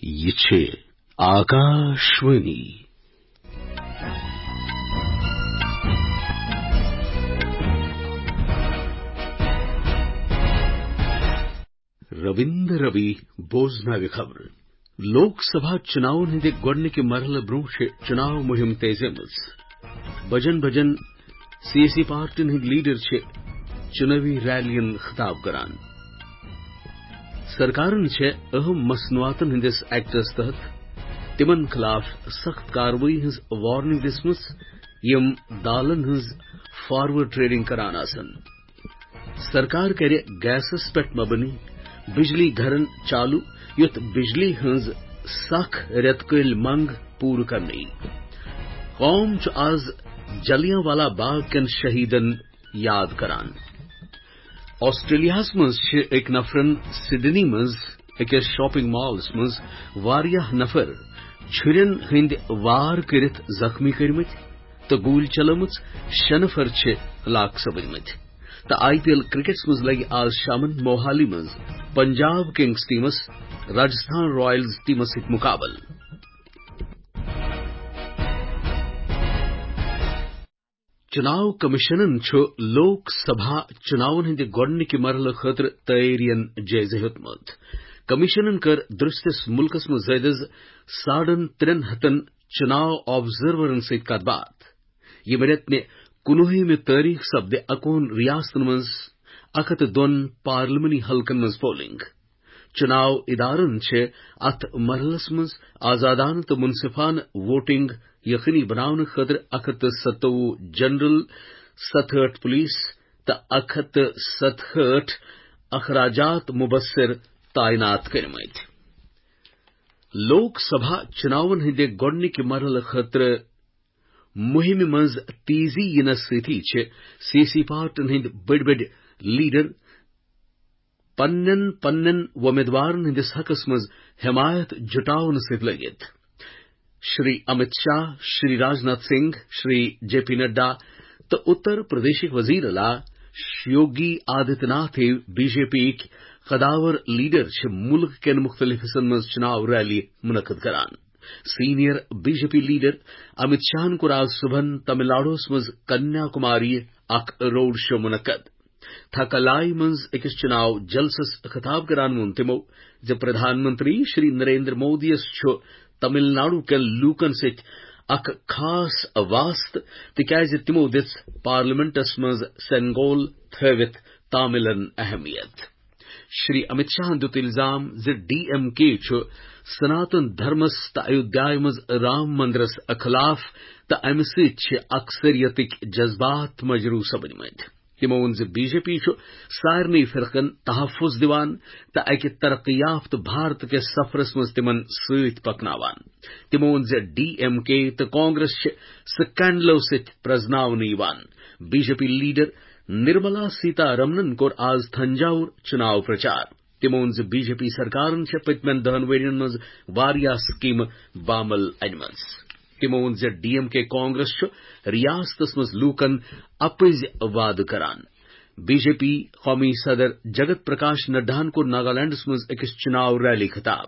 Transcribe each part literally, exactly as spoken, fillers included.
یہِ چھِ آکاشوانی۔ رٔوِندر رٔوی بوزناوِ خبرٕ۔ لوک سبھا چُناون ہٕنٛدِ گۄڈٕنِکہِ مرحلہٕ برٛونٛہہ چھِ چُناو مُہِم تیزیمٕژ۔ بجن بجن سیٲسی پارٹین ہٕنٛدۍ لیڈر چھِ چُنٲوی ریلین خطاب کران۔ سرکارن چھےٚ اہم مصنوعاتن ہٕنٛدِس ایکٹس تحت تِمن خلاف سخت کاروٲیی ہٕنٛز وارننگ دِژمٕژ، یِم دالن ہٕنٛز فارورڈ ٹریڈنگ کران آسن۔ سرکار کرِ گیسس پٮ۪ٹھ مبنی بجلی گھرن چالو، یُتھ بجلی ہٕنٛز سخ رٮ۪تہٕ کٲلۍ منٛگ پوٗرٕ کرنہٕ یی۔ قوم چھُ آز جلیانوالہ باغ کٮ۪ن شہیدن یاد کران۔ آسٹریلیاہس منٛز چھِ أکۍ نفرن سڈنی منٛز أکِس شاپنگ مالس منٛز واریاہ نفر چھُرٮ۪ن ہٕنٛدۍ وار کٔرِتھ زخمی کٔرمٕتۍ تہٕ گوٗلۍ چلٲومٕژ۔ شےٚ نفر چھِ ہلاک سپٕدمٕتۍ۔ تہٕ آئی پی ایل کرکٹس منٛز لگہِ آز شامن موہالی منٛز پنجاب کنگز ٹیمس راجستھان رائلز ٹیمس سۭتۍ مقابلہٕ۔ چُناو کمیشنن چھُ لوک سبھا چُناون ہٕنٛدِ گۄڈٕنِکہِ مرحلہٕ خٲطرٕ تیٲرین جٲیزٕ ہیوٚتمُت۔ کمیشنن کٔر درستِس مُلکس منٛز زٲیدٕ ساڑن ترٛٮ۪ن ہتن چُناو آبزرورن سۭتۍ کتھ باتھ۔ ییٚمہِ رٮ۪تہٕ نہِ کُنوُہمہِ تٲریخ سپدِ اکوُہن ریاستن منٛز اکھ ہتھ تہٕ دۄن پارلیمانی حلقن منٛز پولنگ۔ چُناو ادارن چھِ اتھ مرحلس منٛز آزادانہٕ تہٕ منصفانہٕ ووٹنگ یقینی بناونہٕ خٲطرٕ اکھ ہتھ تہٕ ستووُہ جنرل، ستہٲٹھ پولیس تہٕ اکھ ہتھ تہٕ ستہٲٹھ اخراجات مبصر تعینات کٔرمٕتۍ۔ لوک سبھا چُناون ہٕنٛدِ گۄڈٕنِکہِ مرحلہٕ خٲطرٕ مُہِمہِ منٛز تیزی یِنس سۭتی چھِ سیٲسی پارٹین ہٕنٛدۍ بٔڑۍ بٔڑۍ لیڈر پننٮ۪ن پننٮ۪ن وۄمیدوارن ہٕنٛدِس حقس منٛز حمایت جُٹاونہٕ سۭتۍ لٔگِتھ۔ شری امت شاہ، شری راجناتھ سنگھ، شری جے پی نڈا تہٕ اتر پردیشٕکۍ وزیر اعلیٰ یوگی آدتیہ ناتھ ہیو بی جے پی یِکۍ قداور لیڈر چھِ مُلک کٮ۪ن مُختٔلِف حصن منٛز چُناو ریلی منعقد کران۔ Senior B J P leader Amit شاہن کوٚر آز صبحن تمل ناڈوہس منٛز کنیا کماری اکھ روڈ شو منعقد۔ تھکلائی منٛز أکِس چُناو جلسس خطاب کران ووٚن تِمو زِ پردھان منتری شری نریندر مودیَس چھُ تمل ناڈو کٮ۪ن لوٗکن سۭتۍ اکھ خاص واسطہٕ، تِکیازِ تِمو دِژ پارلیمنٹس منٛز سنگول تھٲوِتھ تاملن اہمیت۔ شری امت شاہن دیُت الزام زِ ڈی ایم کے چھُ سناتن دھرمس تہٕ ایودھیایہ منٛز رام مندرس خلاف تہٕ امہِ سۭتۍ چھِ اکثریتٕکۍ جذبات مجروح سپدمٕتۍ۔ تِمو ووٚن زِ بی جے پی چھُ سارنٕے فرقن تحفظ دِوان تہٕ اکہِ ترقی یافتہٕ بھارت کِس سفرس منٛز تِمن سۭتۍ پکناوان۔ تِمو ووٚن زِ ڈی ایم کے تہٕ کانگریس چھِ سکینڈلو سۭتۍ پرزناونہٕ یِوان۔ B J P leader Nirmala سیتا رمنن کوٚر آز تھنجاوُر چُناو پرچار۔ تِمو ووٚن زِ بی جے پی سرکارن چھےٚ پٔتمٮ۪ن دَہَن ؤرۍ یَن منٛز واریاہ سکیمہٕ بامل انِمژٕ۔ تِمو ووٚن زِ ڈی ایم کے کانگریس چھُ ریاستس منٛز لوٗکن اپٕزۍ وعدٕ کران۔ بی جے پی قومی صدر جگت پرکاش نڈاہن کوٚر ناگالینڈس منٛز أکِس چُناو ریلی خطاب۔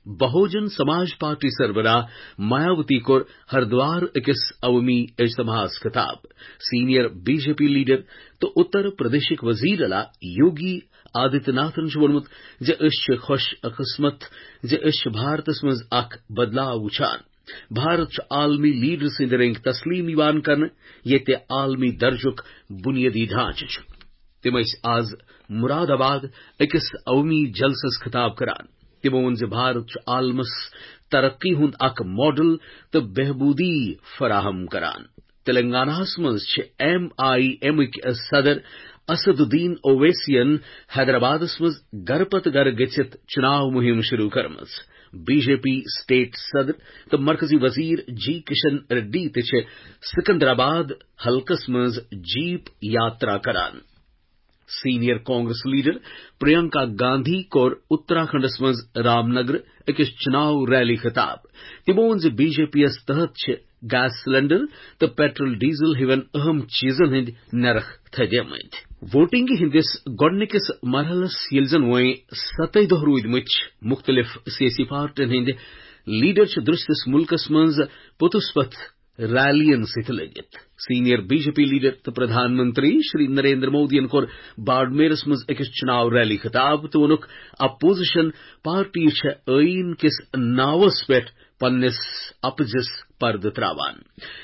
بہوجن سماج پارٹی سربراہ مایاوتی کوٚر ہردوار أکِس عوٲمی اجتماعس خطاب۔ Senior B J P leader تہٕ اتر پردیشٕکۍ وزیر اعلیٰ یوگی آدتیہ ناتھن چھُ ووٚنمُت زِ أسۍ چھِ خوش قسمت زِ أسۍ چھِ بھارتس منٛز اکھ بدلاو وُچھان۔ بھارت چھُ عالمی لیڈر سٕنٛدِ رٔنگۍ تسلیم یِوان کرنہٕ، ییٚتہِ عالمی درجُک بنیٲدی ڈھانچہٕ چھُ۔ تِم ٲسۍ آز مراد آباد أکِس عوٲمی جلسس خطاب کران۔ تِمو ووٚن زِ بھارت چھُ عالمس ترقی ہُنٛد اکھ ماڈل تہٕ بہبودی فراہم کران۔ تلنگاناہس منٛز چھِ ایم آئی ایمٕکۍ صدر اسد الدین اویسین حیدرآبادس منٛز گرٕ پتہٕ گرٕ گٔژھِتھ چُناو مُہِم شروع کٔرمٕژ۔ بی جے پی سٹیٹ صدر تہٕ مرکزی وزیر جی کشن ریڈی تہِ چھِ سکندرآباد حلقس منٛز جیپ یاترا کران۔ سینئر کانگریس لیڈر پرینکا گاندھی کوٚر اتراکھنڈس منٛز رام نگر أکِس چُناو ریلی خطاب۔ تِمو ووٚن زِ بی جے پی یَس تحت چھِ گیس سلنڈر تہٕ پیٹرول ڈیزل ہِوٮ۪ن اہم چیزن ہٕنٛدۍ نرخ تھدیمٕتۍ۔ ووٹنگ ہٕنٛدِس گۄڈٕنِکِس مرحلَس ییٚلہِ زَن وۄنۍ ستَے دۄہ روٗدمٕتۍ چھِ، مُختٔلِف سیٲسی پارٹین ہٕنٛدۍ لیڈر چھِ درستس مُلکَس منٛز پوٚتُس پتھ ریلیَن سۭتۍ لٔگِتھ۔ Senior B J P leader تہٕ پردھان منتری شری نریندر مودیَن کوٚر باڑمیرَس منٛز أکِس چُناو ریلی خطاب تہٕ ووٚنُکھ، اپوزیشن پارٹی چھےٚ ٲیٖن کِس ناوَس پٮ۪ٹھ پننِس اپزِس پردٕ تراوان۔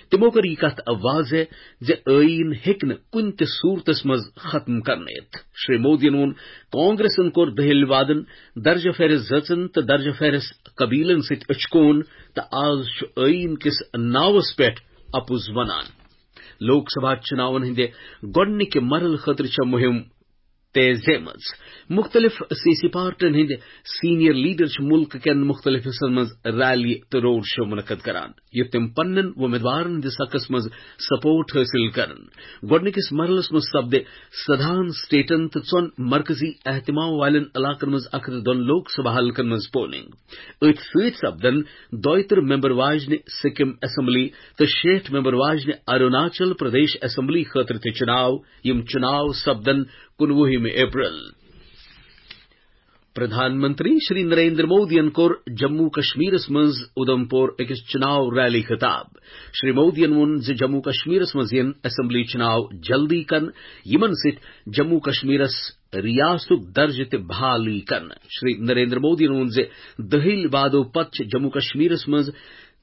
تِمو کٔر یہِ کتھ واضح زِ ٲیٖن ہیٚکہِ نہٕ کُنہِ تہِ صورتس منٛز ختم کرنہٕ یِتھ۔ شری مودیَن ووٚن، کانگریسن کوٚر دٔہِل وادن، درجہ فہرست زٲژن تہٕ درجہ فہرست قبیلن سۭتۍ أچھ کوٗن، تہٕ آز چھُ ٲیٖن کِس ناوس پٮ۪ٹھ اپُز ونان۔ لوک سبھا چُناون ہٕنٛدِ گۄڈٕنِکہِ مرحلہٕ خٲطرٕ چھےٚ مُہِم تیز زیمٕژ۔ مُختٔلِف سیٲسی پارٹین ہٕنٛدۍ سینئر لیڈر چھِ مُلکہٕ کٮ۪ن مُختٔلِف حصن منٛز ریلی تہٕ روڈ شو منعقد کران، یوٚت تِم پننٮ۪ن وۄمیدوارن ہٕنٛدِس حقس منٛز سپورٹ حٲصِل کرن۔ گۄڈٕنِکِس مرحلس منٛز سپدِ سداہن سٹیٹن تہٕ ژۄن مرکزی اہتمام والٮ۪ن علاقن منٛز اکھ ہتھ دۄن لوک سبھا حلقن منٛز پولنگ۔ أتھۍ سۭتۍ سپدن دۄیہِ ترٕہ ممبر واجنہِ سکم اسمبلی تہٕ شیٹھ ممبر واجنہِ اروناچل پردیش اسمبلی خٲطرٕ تہِ چُناو۔ یِم چُناو سپدن کُنوُہمہِ اپریل۔ پردھان منتری شری نریندر مودیَن کوٚر جموں کشمیرس منٛز اُدھمپور أکِس چُناو ریلی خطاب۔ شری مودیَن ووٚن زِ جموں کشمیرس منٛز یِن اسمبلی چُناو جلدی کرنہٕ، یِمن سۭتۍ جموں کشمیرس ریاستُک درجہٕ تہِ بحالی کرنہٕ۔ شری نریندر مودیَن ووٚن زِ دٔہِل وادو پتہٕ چھِ جموں کشمیرس منٛز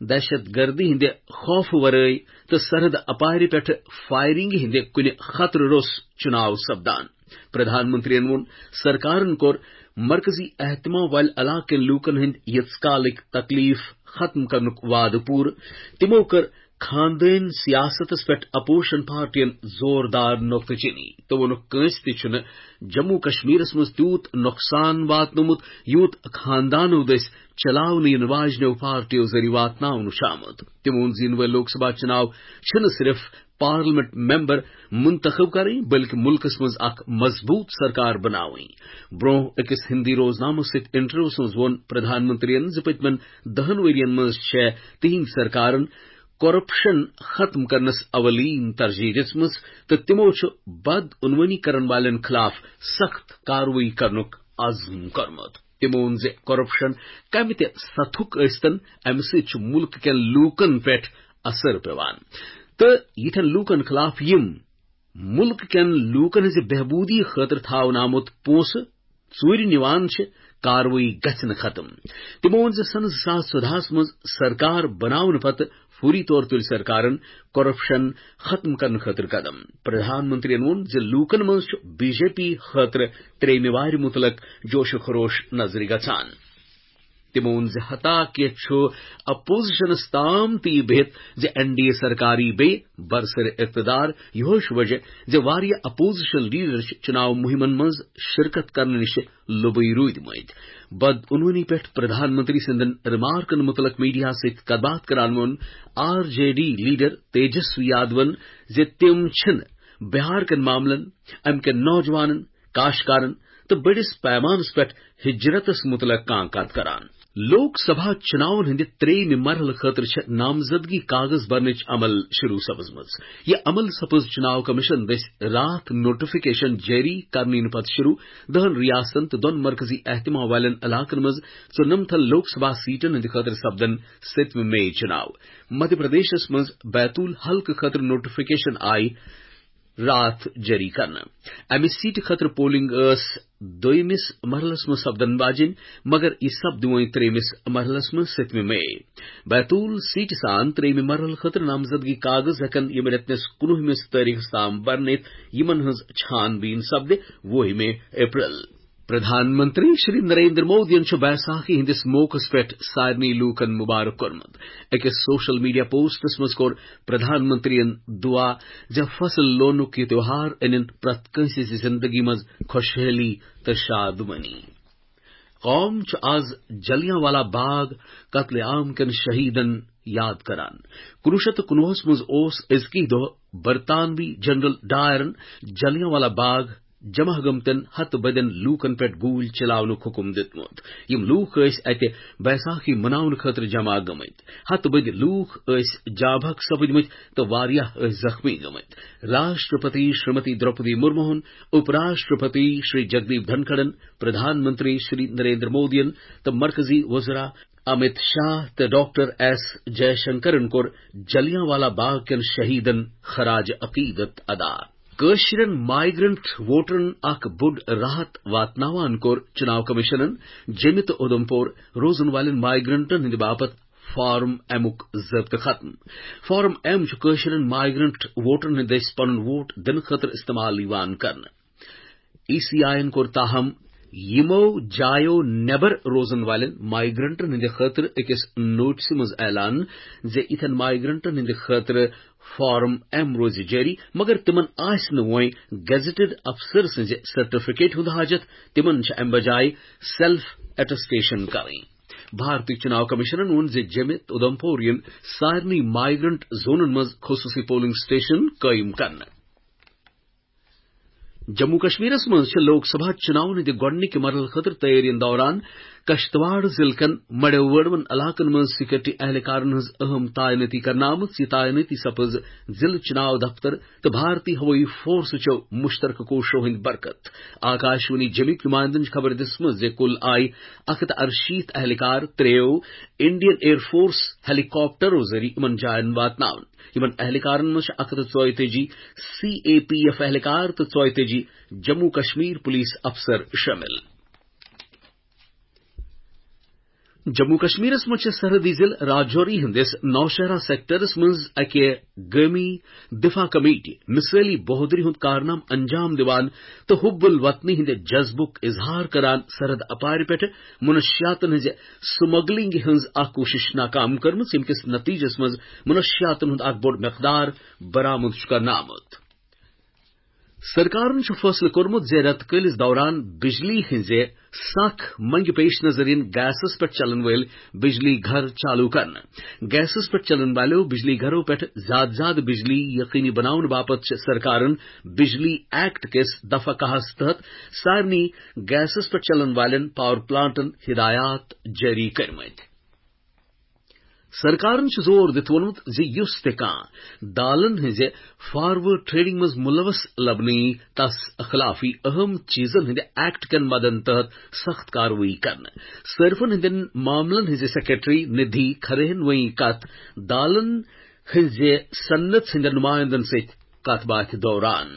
دہشت گردی ہٕنٛدِ خوفہٕ ورٲے تہٕ سرحد اپارِ پٮ۪ٹھٕ فائرنگ ہٕنٛدِ کُنہِ خطرٕ روٚس چُناو سپدان۔ پردھان منتریَن ووٚن، سرکارن کوٚر مرکزی اہتمام والہِ علاقہٕ کٮ۪ن لوٗکن ہٕنٛدۍ ییٖژ کالٕکۍ تکلیف ختم کرنُک وعدٕ پوٗرٕ۔ تِمو کٔر خاندٲنۍ سیاستس پٮ۪ٹھ اپوزیشن پارٹین زوردار نقطہٕ چینی تہٕ ووٚنُکھ، کٲنٛسہِ تہِ چھُنہٕ جموں کشمیرس منٛز تیوٗت نۄقصان واتنومُت، یوٗت خاندانو دٔسۍ چلاونہٕ یِنہٕ واجنیو پارٹیو ذٔریعہٕ واتناونہٕ چھُ آمُت۔ تِمو ووٚن زِ یِنہٕ وٲلۍ لوک سبھا چُناو چھِنہٕ صرف پارلیمنٹ ممبر منتخب کرٕنۍ، بلکہ مُلکس منٛز اکھ مضبوٗط سرکار بناوٕنۍ۔ برونٛہہ أکِس ہندی روزنامس سۭتۍ انٹرویوس منٛز ووٚن پردھان منتریَن زِ پٔتمٮ۪ن دَہَن ؤرین منٛز چھےٚ تِہنٛدِ سرکارن کرپشن ختم کرنس اولین ترجیح دِژمٕژ تہٕ تِمو چھُ بدعنوٲنی کرن والٮ۪ن خلاف سخت کاروٲیی کرنُک عزم کوٚرمُت۔ تِمو ووٚن زِ کرپشن کمہِ تہِ سطحُک ٲسۍتن، امہِ سۭتۍ چھُ مُلکہٕ کٮ۪ن لوٗکن پٮ۪ٹھ اثر پٮ۪وان تہٕ یِتھٮ۪ن لوٗکن خلاف یِم مُلکہٕ کٮ۪ن لوٗکن ہٕنٛزِ بہبوٗدی خٲطرٕ تھاونہٕ آمُت پونٛسہٕ ژوٗرِ نِوان چھِ، کاروٲیی گژھِ نہٕ ختم۔ تِمو ووٚن زِ سنہٕ زٕ ساس ژۄدہَس منٛز سرکار بناونہٕ پتہٕ فوری طور تُلۍ سرکارن کرپشن ختم کرنہٕ خٲطرٕ قدم۔ پردھان منتریَن ووٚن زِ لوٗکن منٛز چھُ بی جے پی خٲطرٕ ترٛیٚیمہِ وارِ مُتعلق جوش و خروش نظرِ گژھان۔ تِمو ووٚن زِ حتیٰ کہِ چھُ اپوزیشنس تام تہِ یہِ بِہِتھ زِ این ڈی اے سرکار یی بیٚیہِ برسر اقتدار، یِہوٚے چھُ وجہ زِ واریاہ اپوزیشن لیڈر چھِ چُناو مُہِمن منٛز شرکت کرنہٕ نِش لوٚبٕے روٗدمٕتۍ۔ بدعنوٲنی پٮ۪ٹھ پردھان منتری سٕنٛدٮ۪ن ریمارکن مُتعلق میڈیاہس سۭتۍ کتھ باتھ کران ووٚن R J D leader Tejashwi یادون زِ تِم چھِنہٕ بہار کٮ۪ن معاملن، امہِ کٮ۪ن نوجوانن، کاشتکارن تہٕ بٔڑِس پیمانس پٮ۪ٹھ ہجرتس مُتعلق کانٛہہ کتھ کران۔ لوک سبھا چُناون ہٕنٛدِ ترٛیٚیمہِ مرحلہٕ خٲطرٕ چھےٚ نامزدگی کاغذ برنٕچ عمل شروع سپٕزمٕژ۔ یہِ عمل سپٕز چُناو کمیشن دٔسۍ راتھ نوٹیفکیشن جٲری کرنہٕ یِنہٕ پتہٕ شروع۔ دَہَن ریاستن تہٕ دۄن مرکزی اہتمام والٮ۪ن علاقن منٛز ژُنَمتھن لوک سبھا سیٹن ہٕنٛدِ خٲطرٕ سپدن سٔتمہِ مئی چُناو۔ مدھیہ پردیشس منٛز بیتول حلقہٕ خٲطرٕ نوٹیفکیشن آیہِ راتھ جٲری کرنہٕ۔ امہِ سیٹہِ خٲطرٕ پولنگ ٲس دوٚیمِس مرحلس منٛز سپدن واجِنۍ، مگر یہِ سپد وۄنۍ ترٛیٚیمِس مرحلس منٛز سٔتمہِ مئی۔ بیتول سیٹہِ سان ترٛیٚیمہِ مرحلہٕ خٲطرٕ نامزدگی کاغذ ہٮ۪کن ییٚمہِ رٮ۪تہٕ کِس کُنوُہمِس تٲریخس تام برنہٕ یِتھ، یِمن ہٕنٛز چھان بیٖن سپدِ وُہمہِ اپریل۔ پردھان منتری شری نریندر مودیَن چھُ بیساکھی ہٕنٛدِس موقعس پٮ۪ٹھ سارنٕے لوٗکن مبارک کوٚرمُت۔ أکِس سوشل میڈیا پوسٹس منٛز کوٚر پردھان منتریَن دعا زِ فصل لونُک یہِ تیوہار أنِن پرٛٮ۪تھ کٲنٛسہِ ہٕنٛزِ زندگی منٛز خۄشحٲلی تہٕ شادمٲنی۔ قوم چھُ آز جلیانوالہ باغ قتل عام کٮ۪ن شہیدن یاد کران۔ کُنوُہ شیٚتھ تہٕ کُنوُہَس منٛز اوس أزکی دۄہ برطانوی جنرل ڈائرن جلیانوالہ باغ جمع گٔمتٮ۪ن ہتہٕ بٔدٮ۪ن لوٗکن پٮ۪ٹھ گوٗلۍ چلاونُک حُکم دیُتمُت۔ یِم لوٗکھ ٲسۍ اتہِ بیساکھی مناونہٕ خٲطرٕ جمع گٔمٕتۍ۔ ہتہٕ بٔدۍ لوٗکھ ٲسۍ جاں بحق سپٕدمٕتۍ تہٕ واریاہ ٲسۍ زخمی گٔمٕتۍ۔ راشٹرپتی شریمتی دروپدی مرموہن، اپ راشٹرپتی شری جگدیپ دھنکھڑن، پردھان منتری شری نریندر مودین تہٕ مرکزی وزراء امت شاہ تہٕ ڈاکٹر ایس جے شنکرن کوٚر جلیانوالہ باغ کٮ۪ن شہیدن خراج عقیدت ادا۔ کٲشرٮ۪ن مائیگرنٹ ووٹرن اکھ بوٚڑ راحت واتناوان کوٚر چناو کمیشنن جیٚمہِ تہٕ اُدھمپور روزن والٮ۪ن مائیگرنٹن ہٕنٛدِ باپتھ فارم ایمُک ضٲبطہٕ ختم۔ فارم ایم چھُ کٲشرٮ۪ن مائیگرنٹ ووٹرن ہٕنٛدِ دٔسۍ پنُن ووٹ دِنہٕ خٲطرٕ استعمال یِوان کرنہٕ۔ ای سی آئین کوٚر تاہم یِمو جایو نٮ۪بر روزن والٮ۪ن مائیگرنٹن ہٕنٛدِ خٲطرٕ أکِس نوٹسہِ منٛز اعلان زِ یِتھٮ۪ن مائیگرنٹن ہٕنٛدِ خٲطرٕ فارم ایم روزِ جٲری، مگر تِمن آسہِ نہٕ وۄنۍ گیزیٹڈ افسر سٕنٛزِ سرٹیفکیٹ ہُنٛد حاجت، تِمن چھِ امہِ بجایہِ سیلف اٹیسٹیشن کرٕنۍ۔ بھارتی چناو کمیشنن ووٚن زِ جیٚمہِ تہٕ اُدھمپور یِن سارنٕے مائیگرنٹ زونن منٛز خصوصی پولنگ سٹیشن قٲیِم کرنہٕ۔ جموں کشمیرس منٛز چھِ لوک سبھا چناون ہٕنٛدِ گۄڈٕنِکہِ مرحلہٕ خٲطرٕ تیٲرین دوران کشتواڑ ضلعہٕ کٮ۪ن مڑیو وٲڑوَن علاقن منٛز سیکورٹی اہلکارن ہٕنٛز اہم تعینٲتی کرنہٕ آمٕژ۔ یہِ تعینٲتی سپٕز ضلعہٕ چناو دفتر تہٕ بھارتی ہوٲیی فورسہٕ چو مشترکہٕ کوششو ہٕنٛدِ برکت۔ آکاشوانی جمِکۍ نمائندن چھِ خبر دِژمٕژ زِ کُل آیہِ اکھ ہتھ ارشیٖتھ اہلکار ترٛیو انڈین ایئر فورس ہیلی کاپٹرو ذٔریعہٕ یِمن جاین واتناونہٕ۔ یِمن اہلکارن منٛز چھِ اکھ ہتھ ژۄیتٲجی سی اے پی ایف اہلکار تہٕ ژۄیتٲجی جموں کشمیر پولیس افسر شٲمِل۔ جموں کشمیرس منٛز چھِ سرحدی ضلعہٕ راجوری ہٕنٛدِس نوشہرہ سیکٹرس منٛز اکہِ گٲمی دفاع کمیٹی مثٲلی بہادری ہُنٛد کارنامہٕ انجام دِوان تہٕ حب الوطنی ہٕنٛدِ جذبُک اظہار کران سرحد اپارِ پٮ۪ٹھٕ منشیاتن ہٕنٛزِ سمگلنگ ہٕنٛز اکھ کوٗشش ناکام کٔرمٕژ، ییٚمہِ کِس نتیجس منٛز منشیاتن ہُنٛد اکھ بوٚڑ مقدار برآمد چھُ کرنہٕ آمُت۔ سرکارن چھُ فٲصلہٕ کوٚرمُت زِ رٮ۪تہٕ کٲلِس دوران بجلی ہٕنٛزِ سخ منگہِ پیش نظر یِن گیسس پٮ۪ٹھ چلن وٲلۍ بجلی گھر چالو کرنہٕ۔ گیسس پٮ۪ٹھ چلن والٮ۪و بجلی گھرو پٮ۪ٹھ زیادٕ زیادٕ بجلی یقینی بناونہٕ باپتھ چھِ سرکارن بجلی ایکٹ کِس دفعہ کاہس تحت سارنٕے گیسس پٮ۪ٹھ چلن والٮ۪ن پاور پلانٹن ہدایات جٲری کٔرمٕتۍ۔ سرکارن چھُ زور دِتھ ووٚنمُت زِ یُس تہِ کانٛہہ دالن ہٕنٛزِ فارورڈ ٹریڈنگ منٛز ملوث لبنہٕ یی، تس خلاف یی اہم چیزن ہٕنٛدِ ایکٹ کٮ۪ن مدن تحت سخت کاروٲیی کرنہٕ۔ صارفن ہٕنٛدٮ۪ن معاملن ہٕنٛزِ سیکرٹری ندھی کھرے ہن وۄنۍ کتھ دالن ہٕنٛزِ صنعت ہٕنٛدٮ۪ن نمائندن سۭتۍ کتھ باتھِ دوران۔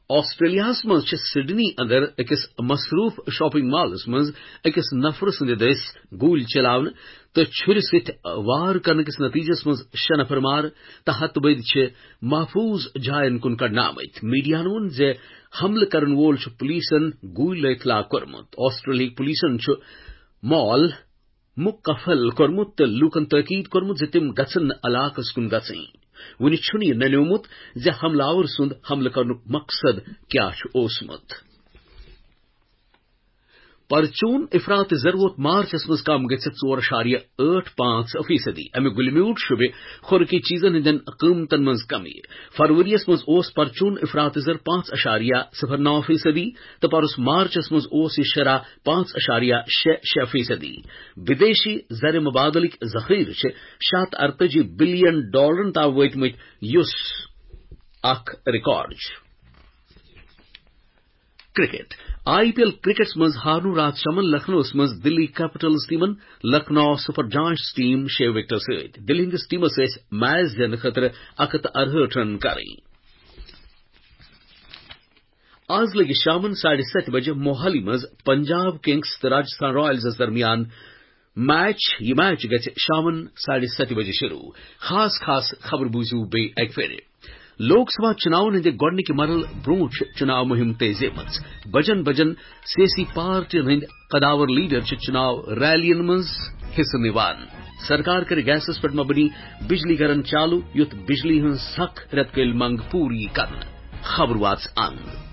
آسٹریلیاہس منٛز چھِ سڈنی اندر أکِس مصروف شاپنگ مالس منٛز أکِس نفرٕ سٕنٛدِ دٔسۍ گوٗلۍ چلاونہٕ تہٕ چھُرِ سۭتۍ وار کرنہٕ کِس نتیجس منٛز شےٚ نفر مارٕ تہٕ ہتہٕ بٔدۍ چھِ محفوظ جاین کُن کڑنہٕ آمٕتۍ۔ میڈیاہن ووٚن زِ حملہٕ کرن وول چھُ پولیسن گوٗلۍ لٲگِتھ ہلاک کوٚرمُت۔ آسٹریلیاہٕکۍ پولیسن چھُ مال مُقفل کوٚرمُت تہٕ لوٗکن تٲکیٖد کوٚرمُت زِ تِم گژھن نہٕ علاقس کُن گژھٕنۍ۔ وُنہِ چھُنہٕ یہِ ننیومُت زِ حملہٕ آور سُنٛد حملہٕ کرنُک مقصد کیٛاہ چھُ اوسمُت۔ پرچون افراط زر ووت مارچس منٛز کم گٔژھِتھ ژور اعشاریہ ٲٹھ پانٛژھ فیصدی۔ اَمیُک گُلہِ میوٗٹھ شوٗبہِ خوراکی چیزن ہٕنٛدٮ۪ن قۭمتن منٛز کمی۔ فروریَس منٛز اوس پرچون افراط زر پانٛژھ اعشاریہ صفر نو فیصدی تہٕ پرُس مارچس منٛز اوس یہِ شرح پانٛژھ اعشاریہ شےٚ شےٚ فیصدی۔ بدیشی زر مبادلٕکۍ ذخیرٕ چھِ شےٚ ہتھ ارتٲجی بلین ڈالرن تام وٲتمٕتۍ، یُس اکھ ریکارڈ چھُ۔ کرکٹ۔ آئی پی ایل کرکٹس منٛز ہارنو راتھ شامن لکھنؤس منٛز دلی کیپٹلز ٹیمن لکھنؤ سپر جائنٹس ٹیم شےٚ وکٹو سۭتۍ۔ دلی ہٕنٛدِس ٹیمس ٲسۍ میچ زینہٕ خٲطرٕ اکھ ہتھ تہٕ ارہٲٹھ رن کرٕنۍ۔ آز لگہِ شامن ساڑِ ستہِ بجہِ موہالی منٛز پنجاب کنگز تہٕ راجستھان رائلزس درمیان میچ۔ یہِ میچ گژھِ شامن ساڑِ ستہِ بجہِ شروع۔ خاص خاص خبر بوٗزِو بیٚیہِ اکہِ پھِرِ۔ لوک سبھا چُناون ہٕنٛدِ گۄڈٕنِکہِ مرحلہٕ برٛونٛہہ چھِ چُناو مُہِم تیزی منٛز۔ بجن بجن سیٲسی پارٹین ہٕنٛدۍ قداور لیڈر چھِ چُناو ریلین منٛز حصہٕ نِوان۔ سرکار کَرِ گیسَس پٮ۪ٹھ مبنی بجلی گھرن چالو، یُتھ بجلی ہٕنٛز سخ رٮ۪تہٕ کٲلۍ منٛگ پوٗرٕ یی کرنہٕ۔ خبر واژ اند۔